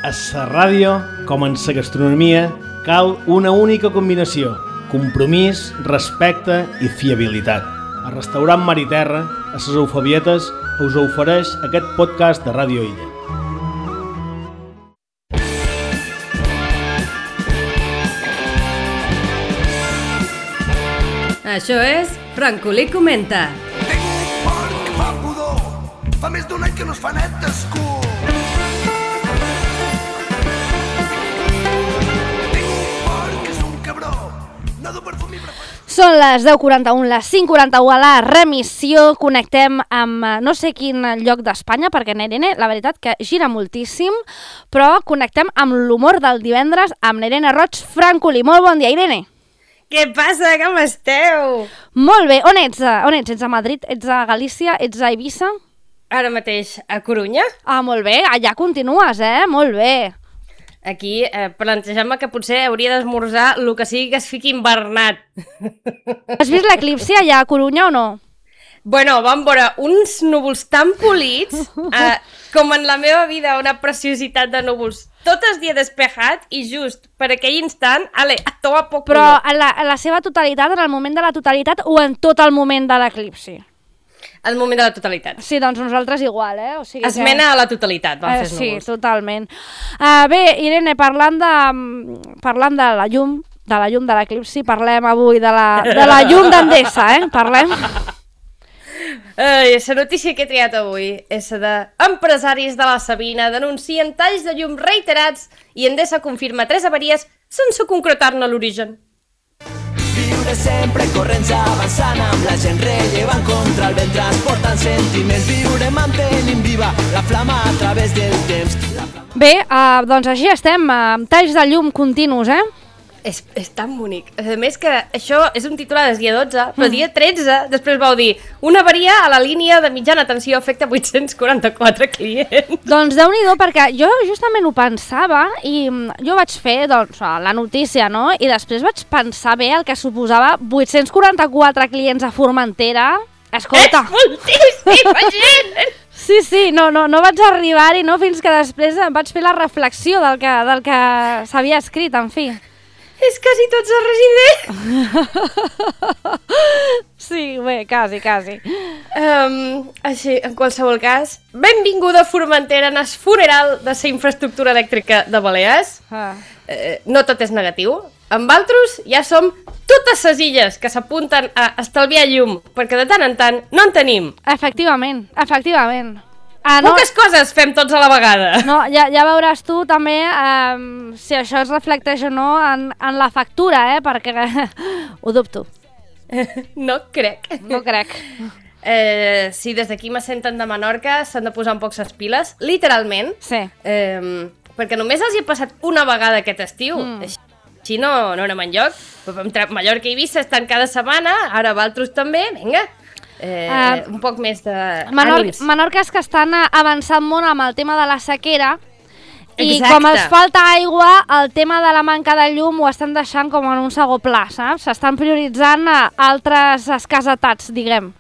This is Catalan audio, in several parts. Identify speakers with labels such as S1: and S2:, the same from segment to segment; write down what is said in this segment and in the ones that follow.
S1: A la ràdio, com en la gastronomia, cal una única combinació: compromís, respecte i fiabilitat. El restaurant Mar i Terra, a les Eufebietes, us ofereix aquest podcast de Ràdio Illa.
S2: Això és Francolí Comenta.
S3: Tinc un porc que fa pudor, fa més d'un any que no es fa net d'escur. Tinc un porc que és un cabró, no du perfum i preferent.
S4: Són les 10:41, les 5:41 a la remissió. Connectem amb no sé quin lloc d'Espanya, perquè Nerene, la veritat que gira moltíssim, però connectem amb l'humor del divendres amb Irene Roig Francolí. Molt bon dia, Irene.
S2: Què passa? Com esteu?
S4: Molt bé. On ets? Ets a Madrid? Ets a Galícia? Ets a Eivissa?
S2: Ara mateix a Corunya.
S4: Ah, molt bé. Allà continues, Molt bé.
S2: Aquí plantejant-me que potser hauria d'esmorzar el que sigui que es fiqui invernat.
S4: Has vist l'eclipsi allà a Corunya o no?
S2: Bueno, vam veure uns núvols tan polits, com en la meva vida, una preciositat de núvols. Tot el dia despejat i just per aquell instant, a tomar poc
S4: Però en la seva totalitat, en el moment de la totalitat o en tot el moment de l'eclipsi?
S2: El moment de la totalitat.
S4: Sí, doncs nosaltres igual, O sigui
S2: Esmena a la totalitat, van fer els
S4: sí,
S2: núvols.
S4: totalment. Bé, Irene, parlant de la llum, de l'eclipsi, parlem avui de la llum d'Endesa, Parlem.
S2: La notícia que he triat avui és de empresaris de la Sabina denuncien talls de llum reiterats i Endesa confirma 3 avaries sense concretar-ne l'origen.
S5: Viure sempre corrents avançant amb la gent rellevant contra el vent transportant sentiments. Viure mantenint viva la flama a través del temps.
S4: Bé, doncs així estem, amb talls de llum continus,
S2: És tan bonic. A més que això és un titular del dia 12, però dia 13 després vau dir una avaria a la línia de mitjana tensió afecta 844 clients.
S4: Doncs Déu-n'hi-do, perquè jo justament ho pensava i jo vaig fer la notícia, no? I després vaig pensar bé el que suposava 844 clients a Formentera. Escolta!
S2: És moltíssima gent!
S4: Sí, no vaig arribar-hi, no? Fins que després vaig fer la reflexió del que s'havia escrit, en fi.
S2: És quasi tots els residents.
S4: Sí, bé, quasi.
S2: Així, en qualsevol cas, benvinguda a Formentera en el funeral de la infraestructura elèctrica de Balears. No tot és negatiu. Amb altres ja som totes les illes que s'apunten a estalviar llum, perquè de tant en tant no en tenim.
S4: Efectivament.
S2: Poques coses fem tots a la vegada.
S4: No, ja veuràs tu també si això es reflecteix o no en la factura, perquè ho dubto.
S2: No crec.
S4: No crec.
S2: Si des d'aquí me senten de Menorca, s'han de posar un poc les piles, literalment.
S4: Sí.
S2: Perquè només els hi ha passat una vegada aquest estiu. Així no anem enlloc. Mallorca i Eivissa estan cada setmana, ara Valtros també, vinga. Un poc més d'ànims.
S4: Menorca és que estan avançant molt amb el tema de la sequera i
S2: Exacte.
S4: com els falta aigua, el tema de la manca de llum ho estan deixant com en un segon pla, saps? S'estan prioritzant altres escasetats, diguem.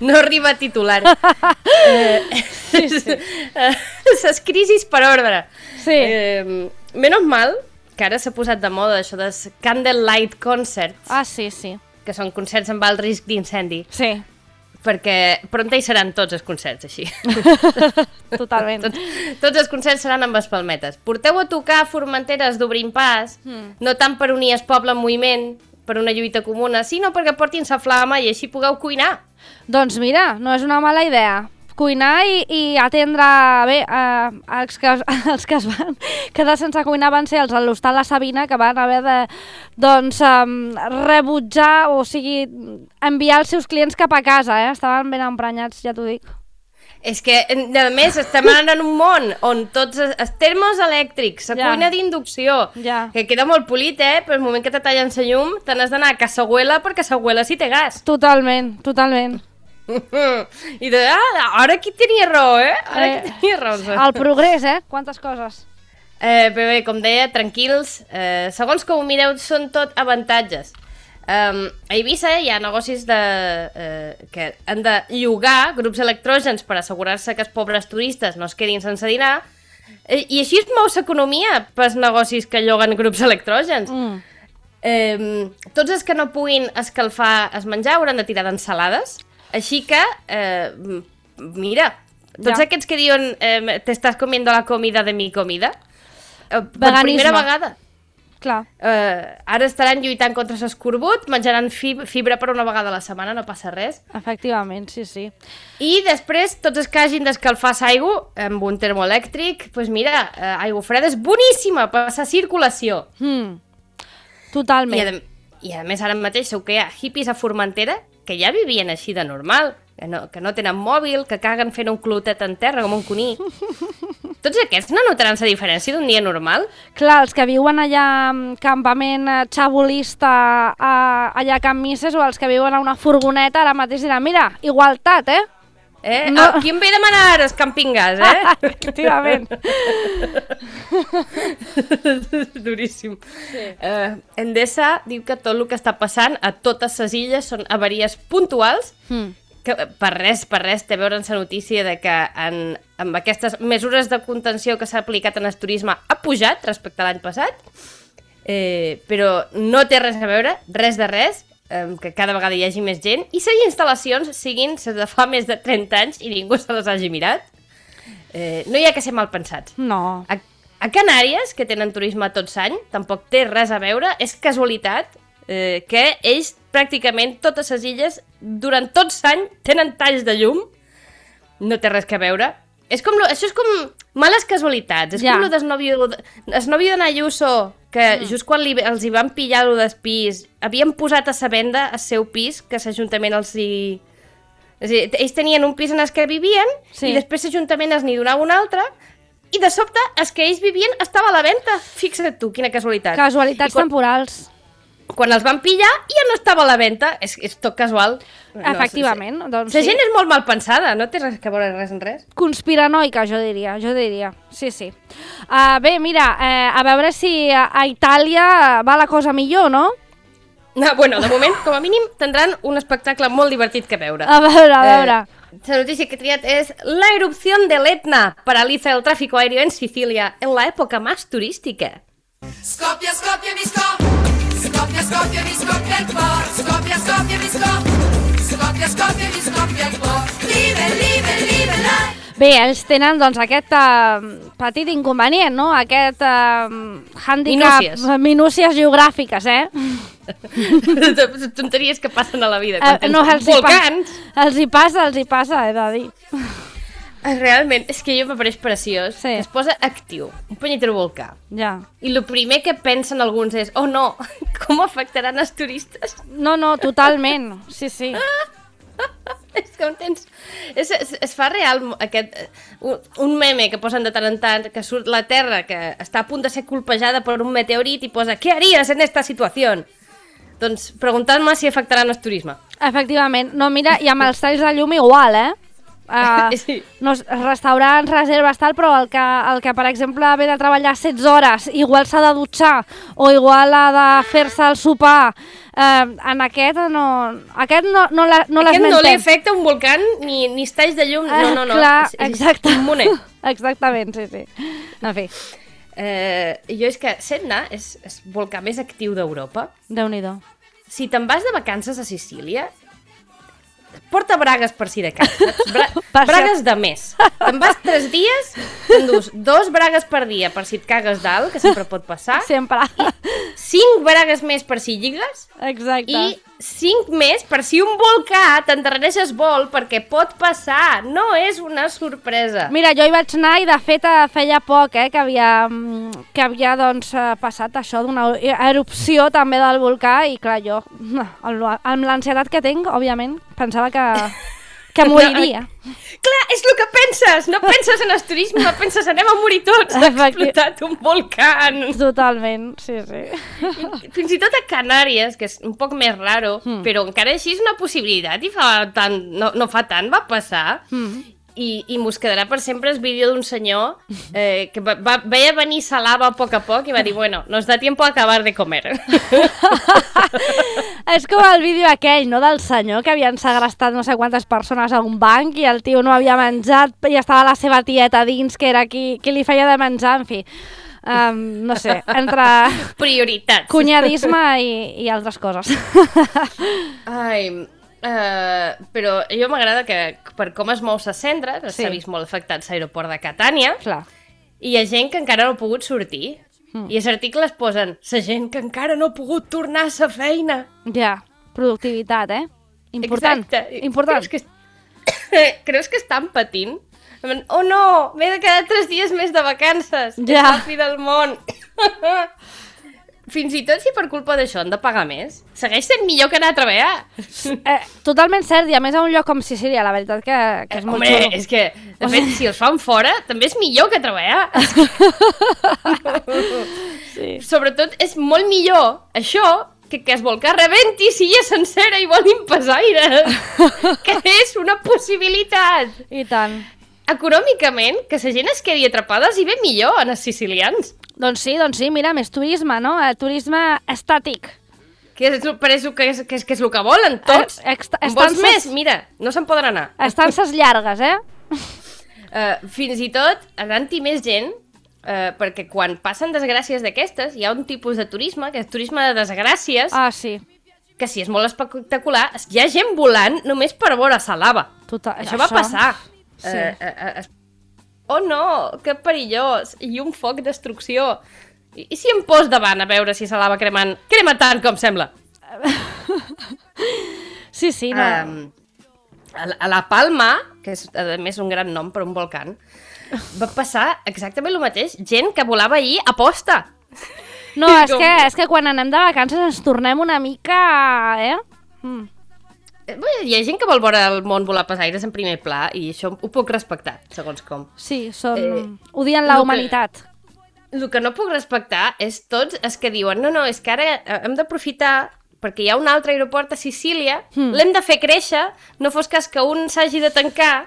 S2: No arriba a titular. Les crisis per ordre.
S4: Sí.
S2: Menys mal que ara s'ha posat de moda això dels candlelight concerts,
S4: Sí.
S2: que són concerts amb alt risc d'incendi.
S4: Sí,
S2: Perquè pronta hi seran tots els concerts, així.
S4: totalment.
S2: Tots els concerts seran amb espalmetes. Porteu a tocar Formenteres d'Obrim Pas, no tant per unir el poble en moviment, per una lluita comuna, sinó perquè portin sa flama i així pugueu cuinar.
S4: Doncs mira, no és una mala idea. Cuinar i atendre bé els que es van quedar sense cuinar van ser els de l'Hostal La Sabina, que van haver de rebutjar, o sigui, enviar els seus clients cap a casa, estaven ben emprenyats, ja t'ho dic.
S2: És que, a més, estem anant en un món on tots els termos elèctrics, la cuina d'inducció, que queda molt polit, però el moment que te tallen la llum te n'has d'anar a casa abuela perquè casa abuela sí té gas.
S4: Totalment.
S2: I ara qui tenia raó, Ara qui tenia raó.
S4: El progrés, quantes coses.
S2: Bé, com deia, tranquils, segons com ho mireu són tot avantatges. A Eivissa hi ha negocis que han de llogar grups electrògens per assegurar-se que els pobres turistes no es quedin sense dinar, I així es mou l'economia pels negocis que lloguen grups electrògens. Tots els que no puguin escalfar el menjar hauran de tirar d'ensalades. Així que, mira, tots aquests que diuen te estàs comiendo la comida de mi comida, per primera vegada.
S4: Clar.
S2: Ara estaran lluitant contra l'escorbut, menjaran fibra per una vegada a la setmana, no passa res.
S4: Efectivament, sí.
S2: I després, tots els que hagin d'escalfar l'aigua amb un termoelèctric, doncs mira, aigua freda és boníssima per la circulació.
S4: Totalment.
S2: I a més ara mateix segur que hi ha hippies a Formentera que ja vivien així de normal, que no tenen mòbil, que caguen fent un clotet en terra com un cuní. Tots aquests no notaran la diferència d'un dia normal?
S4: Clar, els que viuen allà en campament xabolista allà a Can Misses o els que viuen a una furgoneta ara mateix diran, mira, igualtat,
S2: No. Qui em ve a demanar ara el camping gas,
S4: Efectivament.
S2: Duríssim. Sí. Endesa diu que tot el que està passant a totes les illes són avaries puntuals, que per res té a veure en la notícia de que amb aquestes mesures de contenció que s'ha aplicat en el turisme ha pujat respecte a l'any passat, però no té res a veure, res de res, que cada vegada hi hagi més gent i les instal·lacions siguin les de fa més de 30 anys i ningú se les hagi mirat. No hi ha que ser mal pensats.
S4: No.
S2: A Canàries, que tenen turisme tot l'any, tampoc té res a veure, és casualitat que ells pràcticament totes les illes durant tot l'any tenen talls de llum, no té res a veure. Això és com males casualitats, és com el novio d'en Ayuso, que just quan els hi van pillar el del pis, havien posat a la venda el seu pis, que l'Ajuntament els hi... És a dir, ells tenien un pis en el que vivien i després l'Ajuntament els n'hi donava un altre i de sobte el que ells vivien estava a la venda. Fixa't tu, quina casualitat.
S4: Casualitats temporals.
S2: Quan els van pillar ja no estava a la venda, és tot casual.
S4: Efectivament.
S2: Doncs la gent és molt mal pensada, no té res a veure res en res.
S4: Conspiranoica, jo diria. Sí. Bé, mira, a veure si a Itàlia va la cosa millor, no?
S2: Bueno, de moment, com a mínim, tindran un espectacle molt divertit que veure.
S4: A veure.
S2: La notícia que he triat és la erupción del Etna paraliza el tráfico aéreo en Sicilia en la época más turística.
S6: Scoppia, scoppia, mi scoppia. Scoppia, scoppia, mi scoppia il cor. Scoppia, scoppia, mi scoppia. Scoppia, scoppia, mi scoppia il cor. Live, live.
S4: Bé, ells tenen doncs aquest petit inconvenient, no? Aquest hàndicap... Minúcies geogràfiques,
S2: Tonteries que passen a la vida.
S4: Volcans! Els hi passa, he de dir.
S2: Realment, és que jo m'apareix preciós. Sí. Es posa actiu, un punyetero volcà.
S4: Ja.
S2: I el primer que pensen alguns és, oh no, com afectaran els turistes?
S4: No, totalment, sí.
S2: És que entens? Es fa real un meme que posen de tant en tant, que surt la Terra, que està a punt de ser colpejada per un meteorit i posa, ¿qué harías en esta situación? Doncs preguntant-me si afectaran el turisme.
S4: Efectivament. No, mira, i amb els talls de llum igual,
S2: sí.
S4: No, restaurants, reserves, tal, però el que, per exemple, ve de treballar 16 hores, igual s'ha de dutxar, o igual ha de fer-se el sopar, en aquest no l'esmentem.
S2: Aquest no li afecta un volcà ni talls de llum, no.
S4: Clar, exactament. Exactament, sí. En fi.
S2: Jo és que Setna és el volcà més actiu d'Europa.
S4: Déu-n'hi-do.
S2: Si te'n vas de vacances a Sicília, porta bragues per si de cas, bragues de més. Te'n vas 3 dies, t'endús 2 bragues per dia per si et cagues dalt, que sempre pot passar.
S4: Sempre.
S2: I 5 bragues més per si lligues.
S4: Exacte.
S2: I 5 més per si un volcà t'endarrereixes vol, perquè pot passar. No és una sorpresa.
S4: Mira, jo hi vaig anar i de fet feia poc que havia doncs, passat això d'una erupció també del volcà i clar, jo, amb l'ansietat que tinc, òbviament, pensava que moriria.
S2: Clar, és el que penses! No penses en el turisme, no penses anem a morir tots, ha explotat un volcà.
S4: Totalment, sí.
S2: Fins i tot a Canàries, que és un poc més raro, però encara així és una possibilitat i no fa tant va passar. I mos quedarà per sempre el vídeo d'un senyor que veia venir la lava a poc i va dir, bueno, nos da tiempo a acabar de comer.
S4: És com el vídeo aquell, no?, del senyor que havien segrestat no sé quantes persones a un banc i el tio no havia menjat i estava la seva tieta dins, que era qui li feia de menjar, en fi. No sé, entre
S2: prioritats,
S4: cunyadisme i altres coses.
S2: Ai, però jo m'agrada que per com es mou ses cendres, s'ha vist molt afectat l'aeroport de Catània.
S4: Clar.
S2: I hi ha gent que encara no ha pogut sortir. I els articles posen la gent que encara no ha pogut tornar a la feina.
S4: Ja, productivitat, Important.
S2: Exacte.
S4: Important.
S2: Creus que estan patint? Oh no, m'he de quedar 3 dies més de vacances.
S4: Ja.
S2: És la fi del món. Fins i tot si per culpa d'això han de pagar més, segueix sent millor que anar a treballar.
S4: Totalment cert, i a més a un lloc com Sicília, la veritat que és molt xulo.
S2: Home, és que, de fet, si els fan fora, també és millor que treballar. Sí. Sobretot, és molt millor això que es volcà rebenti silla sencera i volin pesaire. Que és una possibilitat.
S4: I tant.
S2: Econòmicament, que la gent es quedi atrapada els hi ve millor en els sicilians.
S4: Doncs sí, mira, més turisme, no? Turisme estàtic.
S2: Que és el que volen tots. En vols més? Mira, no se'n poden anar.
S4: Estances llargues,
S2: Fins i tot anant-hi més gent, perquè quan passen desgràcies d'aquestes, hi ha un tipus de turisme, que és turisme de desgràcies.
S4: Ah, sí.
S2: Que si és molt espectacular, hi ha gent volant només per veure la lava. Això va passar. Sí. Oh no, que perillós. I un foc destrucció. I si em pos davant a veure si la lava crema tant com sembla?
S4: Sí, no.
S2: A la Palma, que és a més un gran nom per un volcán, va passar exactament el mateix. Gent que volava allí a posta.
S4: No, és que quan anem de vacances ens tornem una mica...
S2: Hi ha gent que vol veure el món volar pels aires en primer pla i això ho puc respectar, segons com.
S4: Sí, odien la humanitat.
S2: El que no puc respectar és tots els que diuen no, és que ara hem d'aprofitar perquè hi ha un altre aeroport a Sicília, l'hem de fer créixer, no fos cas que un s'hagi de tancar,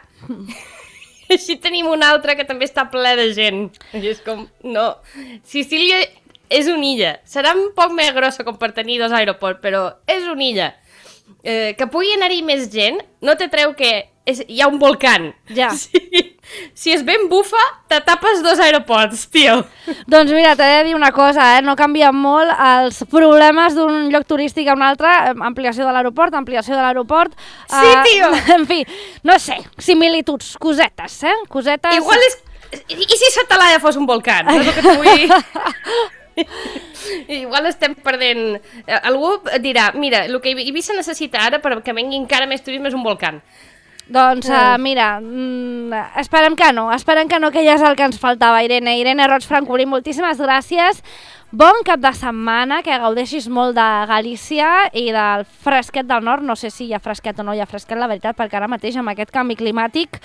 S2: així tenim un altre que també està ple de gent. I és com, no, Sicília és una illa, serà un poc més grossa com per tenir 2 aeroports, però és una illa. Que pugui anar-hi més gent no te treu que hi ha un volcán.
S4: Ja.
S2: Si és ben bufa, te tapes 2 aeroports, tio.
S4: Doncs mira, t'he de dir una cosa, no canvien molt els problemes d'un lloc turístic a un altre, ampliació de l'aeroport.
S2: Sí, tio!
S4: En fi, no sé, similituds, cosetes, cosetes...
S2: Igual és... I si Satalaia fos un volcán? No és el que t'ho vull dir. Igual estem perdent... Algú dirà, mira, el que Eivissa necessita ara perquè vengui encara més turisme és un volcán.
S4: Doncs mira, esperem que no, que ja és el que ens faltava, Irene. Irene Roig Francolí, moltíssimes gràcies. Bon cap de setmana, que gaudeixis molt de Galícia i del fresquet del nord. No sé si hi ha fresquet o no hi ha fresquet, la veritat, perquè ara mateix amb aquest canvi climàtic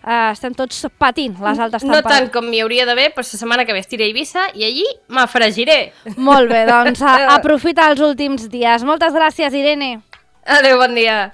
S4: estem tots patint les altes temperatures.
S2: No tant com m'hi hauria d'haver, però la setmana que ve estiré a Eivissa i allí m'afregiré.
S4: Molt bé, doncs aprofita els últims dies. Moltes gràcies, Irene.
S2: Adéu, bon dia.